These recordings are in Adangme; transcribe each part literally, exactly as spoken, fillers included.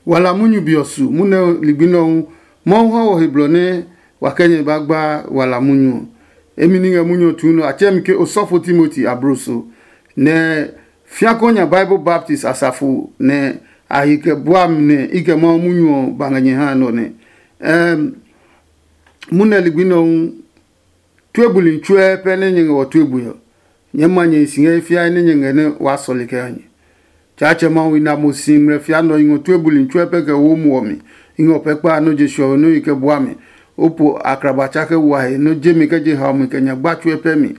Wala munyu be ɔ su munyu nɛ ligbi nɛ ɔ hu, Mawu ha wɔ he blɔ nɛ wa kɛ nyɛ ba gba wala munyu ɔ. Emi ni ngɛ munyu ɔ tuu nɔ, a tsɛɛ mi ke osɔfo Timoti abloso, nɛ fiakɔ nya Bible Baptist asafo nɛ a hi kɛ bua mi nɛ i kɛ Mawu munyu ɔ ba ngɛ nyɛ ha nɔ nɛ. Ɛm, munyu nɛ ligbi nɛ ɔ hu, tue buli tsuɛ pɛ nɛ nyɛ ngɛ wɔ tue bui ɔ, nyɛɛ ma nyɛ hi si ngɛ he fiae nɛ nyɛ ngɛ nɛ waa sɔle kɛ ha nyɛ. Tsaatsɛ Mawu, i na mo si ngmlɛ fia nɔ i ngɔ tue buli tsuɛ pɛ kɛ wo muɔ mi. I ngɔ pɛ kpa nɔ je suɔwe nɔ i kɛ bua mi. O po akraba tsa kɛ wa he nɔ je mi kɛ je hao mi kɛ nya gba tsuɛ pɛ mi.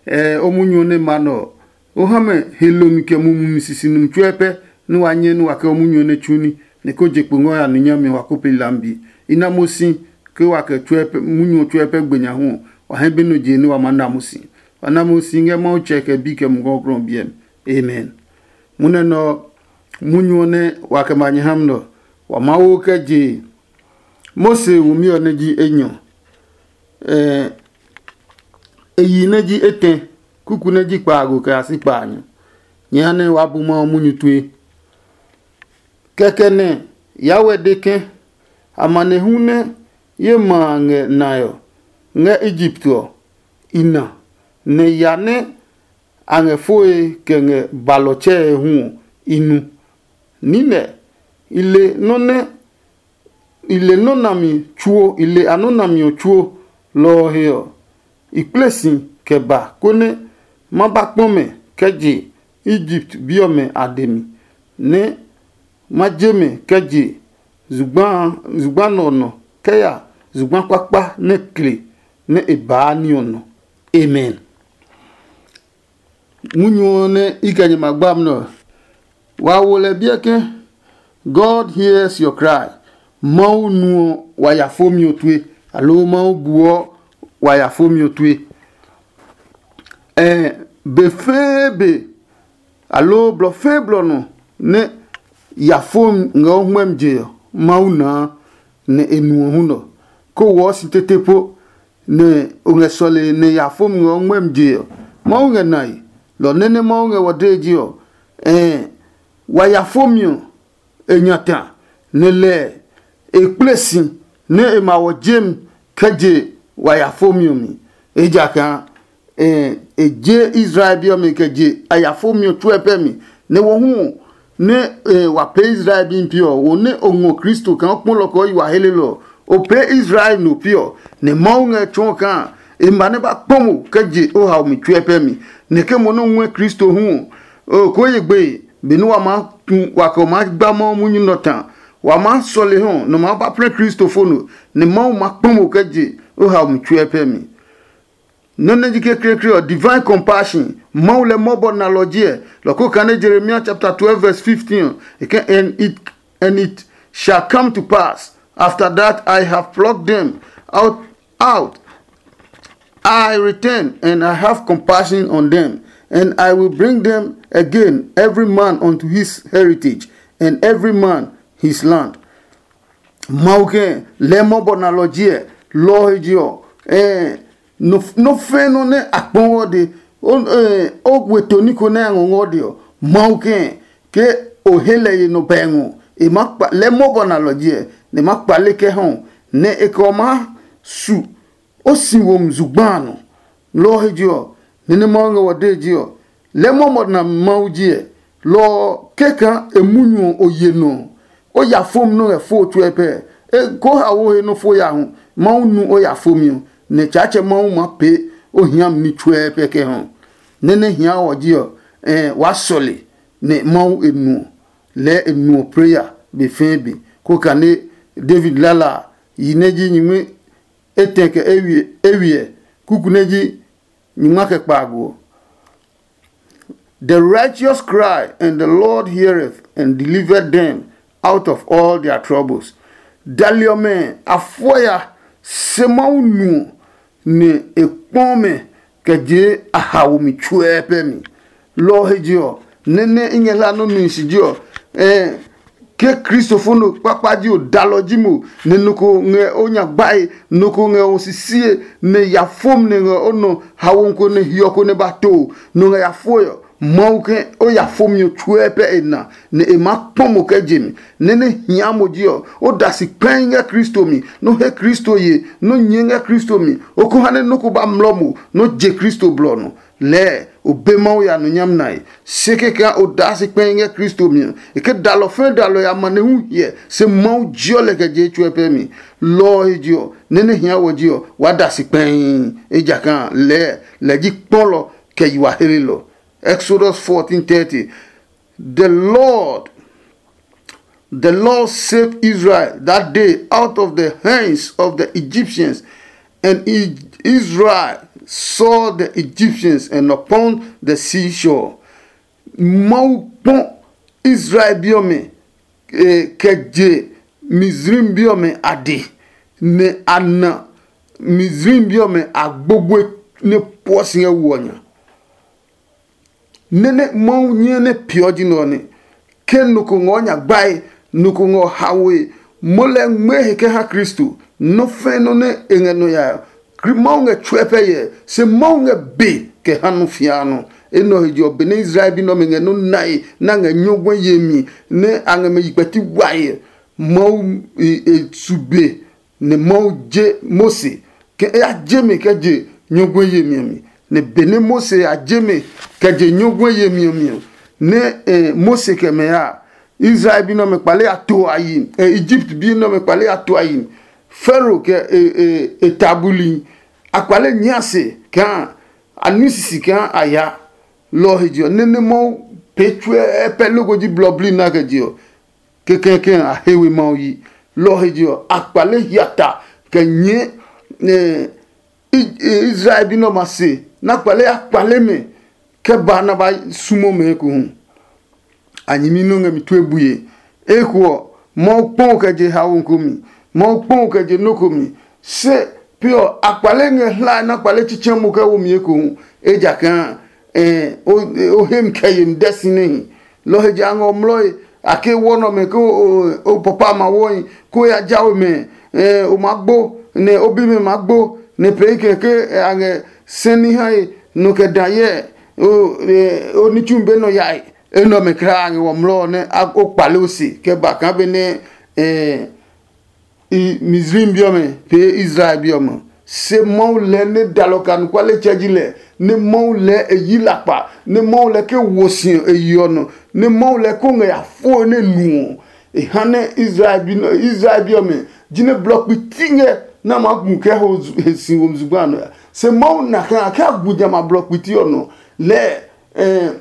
Ɛɛ o munyu nɛ ma nɔ ɔ, o ha mɛ he lomi kɛ mumi sisi numi tsuɛ pɛ nɛ wa nyɛ nɛ wa kɛ o munyu nɛ tsu ní, nɛ ko je kpo ngɔ ya nu nyami wa ko pe lambi. I na mo si ke wa kɛ tsuɛ pɛ munyu tsuɛ pɛ gbe nya hu ɔ, wa hɛ be nɔ je nɛ wa maa na mo si. Wa na mo si ngɛ Mawu tsɛ kɛ bi kɛ mugɔgrɔ biɛ mi. Amen. Munɛ nɔ munyu ɔ nɛ wa kɛ ma nyɛ ha mi nɔ, wa maa wo kɛ je Mose wumi ɔ nɛ ji enyɔ, e yi nɛ ji etɛ, kuku nɛ ji kpaago kɛ ya si kpaanyɔ. Nyɛ ha nɛ waa bu Mawu munyu tue. Kɛkɛ nɛ Yahweh de ke, amanehlu nɛ ye ma a ngɛ nae ɔ ngɛ Egipt ɔ, i na, nɛ ya nɛ a ngɛ foe kɛ ngɛ balɔ tsɛe hu ɔ, i nu. Niinɛ, i le nɔ́ nɛ i le nɔ́ nami tsuo, i le a nɔ́ nami ɔ tsuo. Lɔ ɔ he ɔ, i kple si kɛ ba, konɛ ma ba kpɔ mɛ kɛ je Egipt bi ɔmɛ a dɛ mi, nɛ ma je mɛ kɛ je zugba nɔ ɔ nɔ kɛ ya zugba kpakpa nɛ kle nɛ e baa ní ɔ nɔ. Amen. Munyu ɔ nɛ i kɛ nyɛ ma gba nɛ ɔ, wa wo lɛ biɛ ke, God hears your cry. Mawu nuɔ wa ya fomi ɔ tue, aloo Mawu buɔ wa ya fomi ɔ tue. Ɛɛ be fɛɛ be, aloo blɔ fɛɛ blɔ nɔ nɛ ya fomi ngɛ o hwɛmi je ɔ, Mawu naa, nɛ e nuɔ hu nɔ. Ko wɔɔ si tete po, nɛ o ngɛ sɔle nɛ ya fomi ngɛ o ngmɛmi je ɔ, Mawu ngɛ nae. Lɔ nɛ nɛ Mawu ngɛ wɔ dee je ɔ, ɛɛ wa ya fomi ɔ, e nya ta, nɛ lɛɛ e kple si nɛ e ma wɔ jem kɛ je wa ya fomi ɔ mi. Ejakaa e je Israel bi ɔmɛ kɛ je a ya fomi ɔ tsuɛ pɛ mi, nɛ wɔ hu nɛ wa pee Israel bi pi ɔ, wo nɛ o ngɔ Kristo kaa o kpɔlɔ kɛ o yi wa helelɔ ɔ, o pee Israel no pi ɔ, nɛ Mawu ngɛ tsɔɔ kaa e ma nɛ ba kpɔ mo kɛ je o hao mi tsuɛ pɛ mi, nɛ ke mo nɛ o ngɔɛ Kristo hu ɔ, o koo ye gbeye. Benɛ wa maa tu wa kɛ o maa gba Mawu munyu nɔ ta, wa maa sɔle hɔ nɔ maa ba plɛ Kristo fo no, nɛ Mawu ma kpɔ mo kɛ je o hao mi tsuɛ pɛ mi. Nɔ́ nɛ ji kekleekle ɔ, divine compassion, Mawu lɛ mɔbɔ nalɔ jiɛ. Lɔ ko kane Jeremia chapter twelve verse fifteen ɔ, e ke, and it and it shall come to pass after that I have plucked them out out I return, and I have compassion on them, and I will bring them again, every man unto his heritage, and every man his land. Mawu ke lɛ mɔbɔ nalɔ jiɛ, lɔ he je ɔ, ɛɛ nɔ fɛɛ nɔ nɛ a kpɔ ngɔ de, o we toni ko nɛ a ngɔ ngɔ de ɔ, Mawu ke ke o he lɛ ye nɔ pɛ ngɔ, e ma kpa lɛ mɔbɔ nalɔ jiɛ, nɛ ma kpale kɛ hɔ, nɛ e kɛ ɔ maa su o si wo mi zugba a nɔ. Lɔ ɔ he je ɔ, nɛ nɛ Mawu ngɛ wɔ dee je ɔ, lɛ mɔmɔ na Mawu jiɛ. Lɔ ɔ kɛkaa e munyu ɔ o ye nɔ ɔ, o ya fomi nɔ́ ngɛ fo tsuɛ pɛ. E ko ha wo he nɔ́ fo ya hu, Mawu nu o ya fomi ɔ, nɛ Tsaatsɛ Mawu maa pee o hiami ní tsuɛ pɛ kɛ hɔ. Nɛ nɛ hia ɔ ji ɔ, ɛɛ waa sɔle, nɛ Mawu e nu ɔ, lɛɛ e nu ɔ preya be fɛɛ be. Ko kane David lala a, yi nɛ ji nyingmi etɛ kɛ ewiɛ, kuku nɛ ji nyingma kɛ kpaago ɔ. The righteous cry, and the Lord heareth and delivered them out of all their troubles. Dali ɔmɛ a fɔ ya, se Mawu nu ɔ, nɛ e kpɔ mɛ kɛ je a haomi tsuɛ pɛ mi. Lɔ ɔ he je ɔ, nɛ́ nɛ i ngɛ hla nɔ́ nihi si je ɔ, ɛɛ ke kristofo no kpakpa ji o, dalɔ ji mo, nɛ nɔ ko ngɛ o nya gbae, nɔ ko ngɛ o sisie, nɛ ya fom nɛ ngɛ o nɔ hawo ko nɛ hiɔ ko nɛ ba to o, nɔ ngɛ ya foe ɔ, Mawu ke o ya fomi ɔ tsuɛ pɛ e na, nɛ e maa kpɔ mo kɛ je mi. Nɛ nɛ hia mo ji ɔ, o da si kpɛi ngɛ Kristo mi, nɔ he Kristo ye, nɔ nyɛɛ ngɛ Kristo mi, o ko ha nɛ nɔ́ ko ba mlɔ mo, nɔ je Kristo blɔ nɔ. Lɛɛ o be Mawu ya nɔ nyami nae. Se kɛkɛ o daa si kpɛi ngɛ Kristo mi ɔ, e ke dalɔ fɛ̃ dalɔ ya ma nɛ hu hyɛ, se Mawu jiɔ lɛ kɛ je tsuɛ pɛ mi. Lɔ ɔ he je ɔ, nɛ nɛ hia wɔ ji ɔ, waa da si kpɛii, ejakaa lɛɛ lɛ ji kpɔlɔ kɛ yi wa helelɔ. Exodus fourteen thirty. The Lord, the Lord saved Israel that day out of the hands of the Egyptians, and I- Israel saw the Egyptians and upon the seashore. Mawu kpɔ Israel bi ɔmɛ, eh, kɛ je Misraim bi ɔmɛ a de, nɛ a na Misraim bi ɔmɛ a gbogboe nɛ puɔ si ngɛ wo ɔ nya. Nɛ nɛ Mawu nyɛ nɛ peeɔ ji nɛ ɔ nɛ. Ke nɔ ko ngɔ nya gbae, nɔ ko ngɔ haoe, mo lɛ ngmɛɛ he kɛ ha Kristo. Nɔ́ fɛ̃ nɔ́ nɛ e ngɛ nɔ ya ɔ, Mawu ngɛ tsuɛ pɛ yɛ, se Mawu ngɛ be kɛ ha nɔ fia nɔ. Enɛ ɔ he je ɔ, benɛ Israel bi nɛ ɔmɛ ngɛ nɔ́ nae nɛ a ngɛ nyɔguɛ yemi nɛ a ngɛ mɛ yi kpɛti wae ɔ, Mawu e su be nɛ Mawu je Mose ke e ya je mɛ kɛ je nyɔguɛ yemi ɔ mi. Nɛ benɛ Mose ya je mɛ kɛ je nyɔguɛ yemi ɔ mi ɔ, nɛ Mose kɛ mɛ ya, Israel bi nɛ ɔmɛ kpale ya to a yi, Egypt bi nɛ ɔmɛ kpale ya to a yi. Faro kɛ e ta buli, a kpale nyɛɛ se kaa a nu sisi kaa a ya. Lɔ ɔ he je ɔ, nɛ nɛ Mawu pee tsuɛ pɛ loko ji blɔ bli na kɛ je ɔ, kɛkɛkɛ a he we Mawu yi. Lɔ ɔ he je ɔ, a kpale hiata kɛ nyɛɛ Israel bi nɛ ɔmɛ a se nɛ a kpale ya kpale mɛ kɛ ba nɛ a ba sumo mɛ ekohu. A nyɛmi nɔ́ ngɛ mi tue bue. Eko ɔ, Mawu kpɔ kɛ je haomi ko mi, Mawu kpɔ kɛ je nɔ́ ko mi. Se pi ɔ, a kpale ngɛ hlae nɛ a kpale tsitsɛ mo kɛ wo mi ekohu, ejakaa o he mi kɛ yemi dɛ si nɛ hi. Lɔ ɔ he je a ngɛ o mlɔe, a ke wɔ nɛ ɔmɛ ke o papa ma wɔhi, ko ya ja we mɛ, o maa gbo, nɛ o bimɛ maa gbo, nɛ pee kɛ ke a ngɛ sɛni hae nɔ kɛ da hyɛ o nitsumi be nɔ yae. Enɛ ɔmɛ kulaa a ngɛ wɔ mlɔ ɔ nɛ o kpale o se kɛ ba kaa benɛ Misraim bi ɔmɛ pee Israel bi ɔmɛ. Se Mawu lɛɛ nɛ dalɔ kɛ anɔkualetsɛ ji lɛ, nɛ Mawu lɛɛ e yi lakpa, nɛ Mawu lɛɛ ke wo si ɔ e yi ɔ nɔ, nɛ Mawu lɛɛ ko ngɛ ya foe nɛ nu ɔ, e ha nɛ Israel bi nɔ Israel bi ɔmɛ jinɛ blɔ kpiti ngɛ nɛ a maa gu kɛ ho zu- he si wo zugba a nɔ ya. Se Mawu na kɛ a kɛ a gu jamɛ a blɔ kpiti ɔ nɔ lɛɛ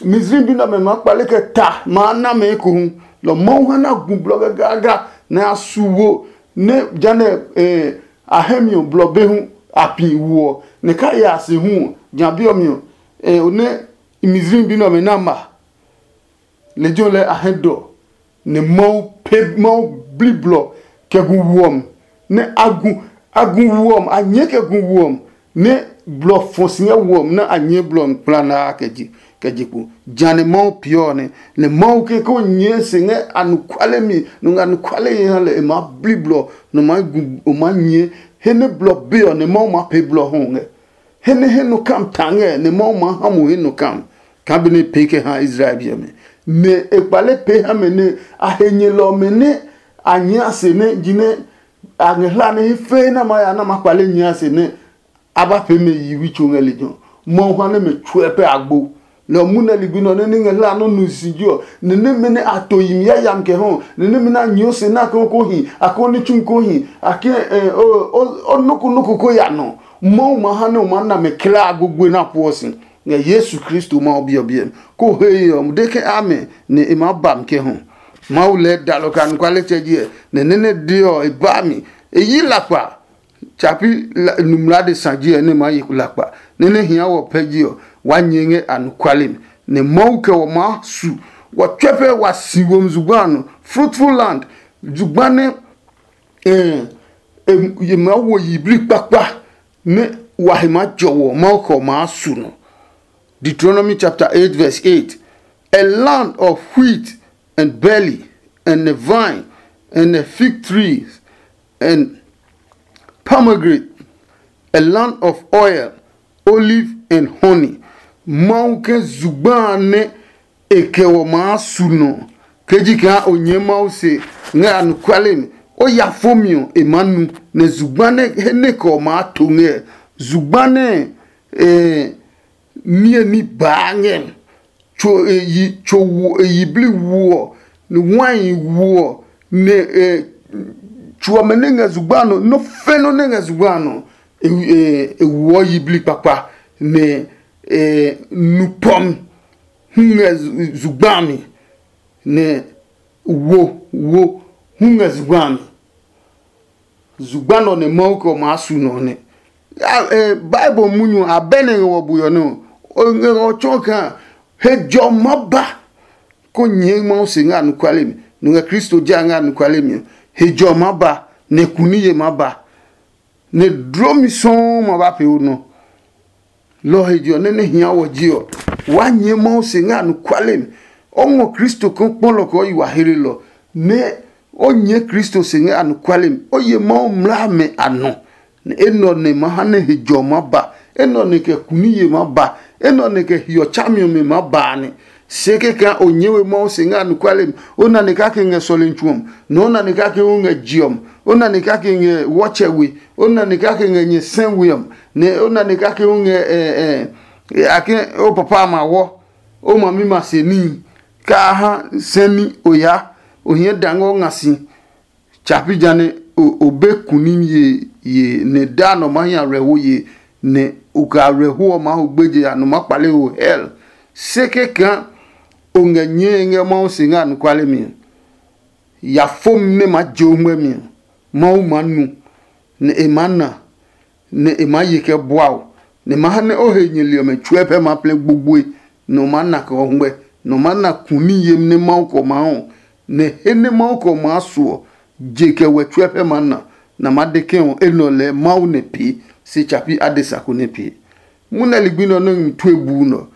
Misraim bi nɛ ɔmɛ maa kpale kɛ ta maa na mɛ ekohu. Lɔ Mawu ha na gu blɔ gagaga nɛ a su wo nɛ janɛ a hɛ mi ɔ blɔ be hu a pi wo ɔ, nɛ ka ya a se hu ɔ, ja bi ɔ mi ɔ, o nɛ Misraim bi nɛ ɔmɛ na ma. Lejɛ ɔ lɛɛ a hɛ dɔ, nɛ Mawu pe Mawu bli blɔ kɛ gu wuɔ mi, nɛ a gu a gu wuɔ mi, a nyɛɛ kɛ gu wuɔ mi, nɛ blɔ fɔ si ngɛ wuɔ mi nɛ a nyɛɛ blɔ mi kplanaa kɛ je kɛ je kpo. Jã nɛ Mawu peeɔ ɔ nɛ, nɛ Mawu ke ko nyɛɛ se ngɛ anɔkuale mi, nɔ ngɛ anɔkuale ye ha lɛ e maa bli blɔ nɔ maa gu o maa nyɛɛ he nɛ blɔ be ɔ nɛ Mawu maa pee blɔ hu ngɛ. He nɛ he nɔ kam ta ngɛ nɛ Mawu maa ha mo he nɔ kam kaa benɛ e pee kɛ ha Israel bi ɔmɛ. Nɛ e kpale pee ha mɛ nɛ a he nyɛlɔ ɔmɛ nɛ a nyɛɛ a se nɛ jinɛ a ngɛ hla nɛ he fɛɛ nɛ a ma ya nɛ a ma kpale nyɛɛ a se nɛ a ba pee mɛ yiwi tso ngɛ lejɛ ɔ. Mawu ha nɛ mɛ tsuɛ pɛ agbo. Lɔ ɔ mu nɛ ligbi nɔ nɛ ní ngɛ hla nɔ́ nu si ji ɔ, nɛ nɛmɛ nɛ a to yi mi yayami kɛ hɔ, nɛ nɛmɛ nɛ a nyɛɛ o se nɛ a kɛ ko hi, a kɛ ní tsu ko hi, a kɛ o nɔ́ ko nɔ́ ko ko ya nɔ. Mawu ma ha nɛ o maa na mɛ klaa gbogboi nɛ a pueɔ si ngɛ Yesu Kristo Mawu Bi ɔ biɛ mi. Ko he ye ɔ, de ke amɛ nɛ e maa ba mi kɛ hɔ. Mawu lɛɛ dalɔ kɛ anɔkualetsɛ ji ɛ, nɛ nɛ nɛ de ɔ, e ba mi. E yi lakpa. Tsapi numlade sa ji ɛ nɛ maa yi lakpa, nɛ nɛ hia wɔ pɛ ji ɔ, waa nyɛɛ ngɛ anɔkuale mi. Nɛ Mawu kɛ wɔ maa su, wɔ tsɛ pɛ wa si womi zugba a nɔ, fruitful land, zugba nɛ e maa wo yiblii kpakpa, nɛ wa he maa jɔ wɔ, Mawu kɛ wɔ maa su nɔ. Deuteronomy chapter eight verse eight. A land of wheat and barley and a vine and a fig trees and pomegranate, a land of oil, olive and honey. Mawu ke zugba a nɛ e kɛ wɔ maa su nɔ. Ke ji kaa o nyɛɛ Mawu se ngɛ anɔkuale mi, o ya fo mi ɔ, e maa nu, nɛ zugba nɛ he nɛ kɛ ɔ maa to ngɛ. Zugba nɛ eh, niye ní baa ngɛ. Tso e yi tso wo e yi bli wo ɔ, ni wai wo ɔ, nɛ e tso ɔmɛ nɛ ngɛ zugba nɔ, nɔ fɛ nɔ nɛ ngɛ zugba nɔ, e e e woɔ yi bli kpakpa, nɛ e nu pɔmi hu ngɛ zu- zugba mi, nɛ wo wo hu ngɛ zugba mi. Zugba nɔ nɛ Mawu kɛ ɔ maa su nɔ nɛ. Bible munyu abɛ nɛ ngɛ wɔ buyɔ nɛ ɔ, o ngɛ ɔ tsɔɔ kaa he jɔ ma ba. Ko nyɛɛ Mawu se ngɛ anɔkuale mi, nɔ ngɛ Kristo ja ngɛ anɔkuale mi ɔ, he jɔ ma ba, nɛ kuniye ma ba, nɛ dlomi sɔuu ma ba pee o nɔ. Lɔ ɔ he je ɔ, nɛ nɛ hia wɔ je ɔ, waa nyɛɛ Mawu se ngɛ anɔkuale mi. O ngɔ Kristo kɔkpɔlɔ kɛ o yi wa hlelɔ, nɛ o nyɛɛ Kristo se ngɛ anɔkuale mi. O ye Mawu mlaa mɛ a nɔ, nɛ enɛ ɔ nɛ ma ha nɛ he jɔ ɔ maa ba, enɛ ɔ nɛ kɛ kuniye maa ba, enɛ ɔ nɛ kɛ hiɔ tsami ɔmɛ maa ba a nɛ. Se kɛkɛ o nyɛɛ we Mawu se ngɛ anɔkuale mi, o na nɛ kake ngɛ sɔlemi tsu ɔ mi, nɛ o na nɛ kake o ngɛ je ɔ mi, o na nɛ kake ngɛ wɔtsɛ we, o na nɛ kake ngɛ nyɛ sɛ we ɔ mi, nɛ o na nɛ kake o ngɛ ɛ ɛ ake o papa a ma wɔ, o mami ma se níhi, kaa ha sɛ ní o ya, o hiɛ da ngɛ o nga si. Tsa pi ja nɛ o be kunim ye ye nɛ daa nɔ maa hi awerɛho ye, nɛ o kɛ awerɛho ɔ maa ho gbeje a nɔ maa kpale ho hɛl. Se kɛkaa o ngɛ nyɛe ngɛ Mawu se ngɛ anɔkuale mi ɔ, ya fom nɛ maa je o ngmɛmi ɔ, Mawu maa nu, nɛ e maa na, nɛ e maa ye kɛ bua o, nɛ e maa ha nɛ o he nyɛli ɔmɛ tsuɛ pɛ maa plɛ gbogboi, nɛ o maa na kɛ o ngmɛ, nɛ o maa na kuni yemi nɛ Mawu kɛ o maa ɔ, nɛ he nɛ Mawu kɛ o maa su ɔ, je kɛ wɛ tsuɛ pɛ maa na, nɛ a maa de ke ɔ enɛ ɔ lɛɛ Mawu nɛ pee, se tsa pi adesa ko nɛ pee. Munɛ ligbi nɛ ɔ nɛ ngmi tue buu nɛ ɔ,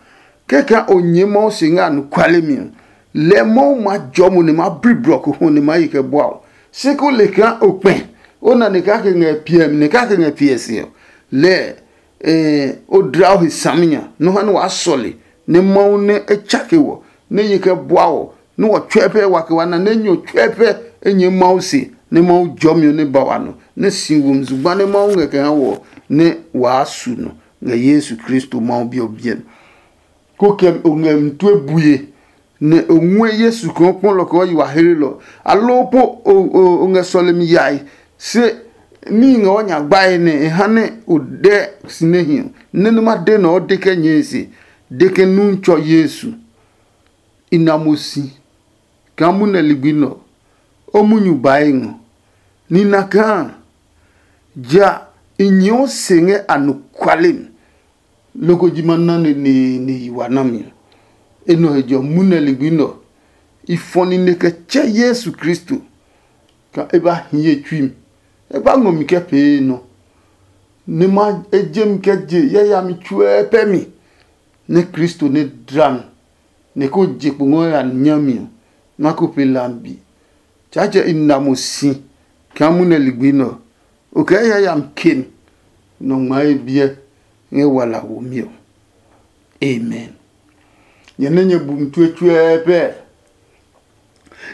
kɛkɛ o nyɛɛ Mawu se ngɛ anɔkuale mi ɔ, lɛɛ Mawu maa jɔɔ mo nɛ maa bli blɔ ko hu nɛ maa yi kɛ bua o. Se ko le kaa o kpɛ, o na nɛ kake ngɛ piɛ mi nɛ kake ngɛ piɛ se ɔ, lɛɛ o dla o he saminya nɔ ha nɛ waa sɔle, nɛ Mawu nɛ e tsake wɔ, nɛ ye kɛ bua wɔ, nɛ wɔ tsuɛ pɛ wa kɛ wa na nɛ nyɔ tsuɛ pɛ e nyɛɛ Mawu se, nɛ Mawu jɔmi ɔ nɛ ba wa nɔ, nɛ si womi zugba nɛ Mawu ngɛ kɛ ha wɔ, nɛ waa su nɔ ngɛ Yesu Kristo Mawu Bi ɔ biɛ mi. Ko kɛ o ngɛ mi tue bue, nɛ o ngɔɛ Yesu kaa o kpɔ lɔ kɛ yi wa hlelɔ, aloo po o ngɛ sɔlemi yae, se níhi ngɛ o nya gbae nɛ e ha nɛ o dɛ si nɛ hi ɔ, nɛ nɛ ma de nɛ o de kɛ nyɛe se, de ke nu tsɔ Yesu. I na mo si kaa munɛ ligbi nɛ ɔ, o munyu bae ngɔ. Nina kaa ja i nyɛɛ o se ngɛ anɔkuale mi, loko ji ma na neneene yi wa nami ɔ. Enɛ ɔ he jɔ munɛ ligbi nɛ ɔ, i fɔ nine kɛ tsɛ Yesu Kristo kaa e ba hi ye tsui mi, e ba ngɔ mi kɛ pee nɔ, nɛ ma e je mi kɛ je yayami tsuɛ pɛ mi, nɛ Kristo nɛ dla mi, nɛ ko je kpo ngɔ ya nyami ɔ, ma ko pe lambi. Tsaatsɛ i na mo si kaa munɛ ligbi nɛ ɔ, o kɛɛ yayami ke mi nɔ ngmaa ye biɛ ngɛ wala womi ɔ. Amen. Nyɛ nɛ nyɛ bu mi tue tsuɛɛ pɛɛ.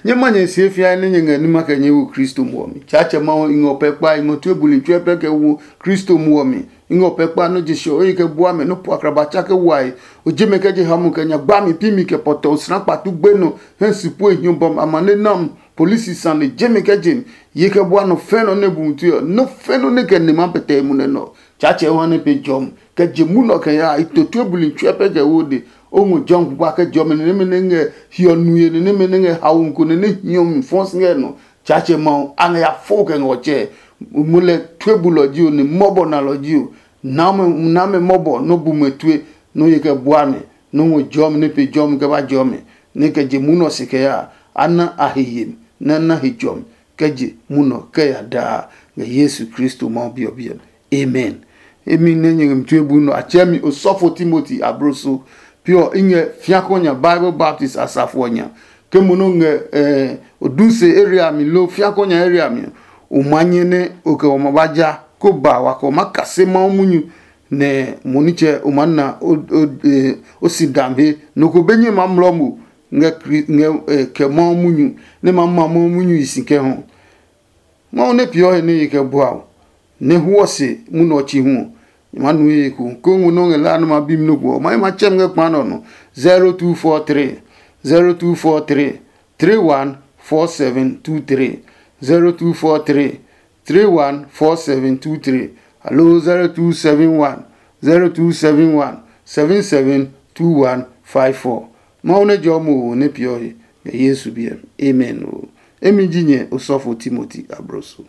Nyɛ ma nyɛ sie fiae nɛ nyɛ ngɛ nima kɛ nyɛ wo Kristo muɔ mi. Tsaatsɛ Mawu, i ngɛ o pɛ kpa, i ngɔ tue buli tsuɛ pɛ kɛ wo Kristo muɔ mi. I ngɛ o pɛ kpa nɔ́ je sɔ o yi kɛ bua mɛ nɔ́ po akraba tsa kɛ wae. O je mɛ kɛ je ha mo kɛ nya gba mi pi mi kɛ pɔtɔ o sra kpatu gbe nɔ hɛ si pue hiɔ bɔm amane nam polisi sane je mɛ kɛ je mi. Ye kɛ bua nɔ fɛ nɔ nɛ bu mi tue ɔ, nɔ fɛ nɔ nɛ kɛ ne ma pɛtɛ mu nɛ nɔ. Tsaatsɛ Yohane pe jɔmi kɛ je munɔ kɛ ya i to tue buli tsuɛ pɛ kɛ wo de. O ngɔ jɔmi kpakpa kɛ jɔmi nɛ nɛmɛ nɛ ngɛ hiɔ nuye nɛ nɛmɛ nɛ ngɛ haomi ko nɛ nɛ hiɔ mi fɔ si ngɛ nɔ. Tsaatsɛ Mawu a ngɛ ya fo kɛ ngɛ ɔ tsɛ. Mo lɛ tue bulɔ ji o nɛ mɔbɔ nalɔ ji o. Name name mɔbɔ nɔ bu mɛ tue nɔ ye kɛ bua mɛ nɔ ngɔ jɔmi nɛ pe jɔmi kɛ ba jɔmi nɛ kɛ je munɔ se kɛ ya a na a he yemi nɛ na he jɔmi kɛ je munɔ kɛ ya daa ngɛ Yesu Kristo Mawu bi ɔ biɛ mi. Amen. Emi nɛ nyɛ ngɛ mi tue bu nɔ a tsɛ mi osɔfo Timoti abloso. Pi ɔ i ngɛ fiakɔ nya Bible Baptist asafo ɔ nya. Ke mo nɔ ngɛ eh, odunse area mi lo fiakɔ nya area mi ɔ, o ma nyɛ nɛ o kɛ wɔ ma ba ja ko ba wa kɛ wɔ ma kase Mawu munyu nɛ mo nitsɛ o maa na o si dam he. Nɔ ko be nyɛ ma mlɔ mo ngɛ kɛ Mawu munyu, nɛ ma ma Mawu munyu yi si kɛ hɔ. Mawu nɛ peeɔ he nɛ ye kɛ bua o, nɛ huɔ se munɔ ɔ chi hu ɔ, nyɛ maa nu he ko. Kongu nɛ o ngɛ la nɛ ma bi mi nɔ ko ɔ, ma ye ma tsɛ mi ngɛ kpa nɛ ɔ nɔ. Zero two four three, zero two four three, three one four seven two three, zero two four three, three one four seven two three, aloo zero two seven one, zero two seven one, seven seven two one five four. Mawu nɛ jɔ mo wo nɛ peeɔ he ngɛ Yesu biɛ. Amen. O emi ji nyɛ osɔfo Timoti abroso.